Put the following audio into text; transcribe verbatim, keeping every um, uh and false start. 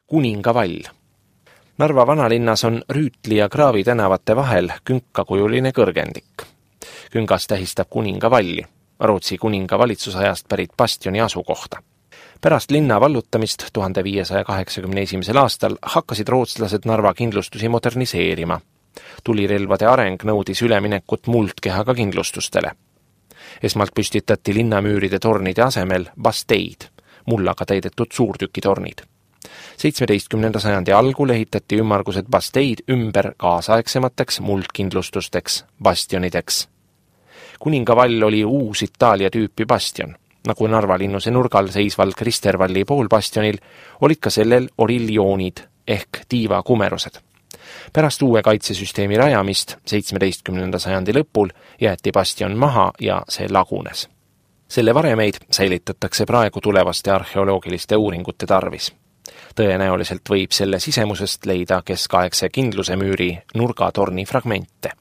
Kuningavall. Narva vanalinnas on Rüütli ja Kraavi tänavate vahel künkakujuline kõrgendik. Küngas tähistab Kuningavalli, Rootsi kuninga valitsusajast pärit bastioni asukohta. Pärast linna vallutamist tuhande viiesaja kaheksakümne esimesel aastal hakkasid rootslased Narva kindlustusi moderniseerima. Tulirelvade areng nõudis üleminekut muldkehaga kindlustustele. Esmalt püstitati linnamüüride tornide asemel basteid, mullaga täidetud suurtükitornid. seitsmeteistkümnenda sajandi algul ehitati ümmargused basteid ümber kaasaegsemateks muldkindlustusteks, bastionideks. Kuningavall oli uus Itaalia tüüpi bastion. Nagu Narva linnuse nurgal seisval Kristervalli poolbastionil olid ka sellel oriljoonid ehk tiivakumerused. Pärast uue kaitsesüsteemi rajamist seitsmeteistkümnenda sajandi lõpul jäeti bastion maha ja see lagunes. Selle varemeid säilitatakse praegu tulevaste arheoloogiliste uuringute tarvis. Tõenäoliselt võib selle sisemusest leida keskaegse kindlusemüüri nurgatorni fragmente.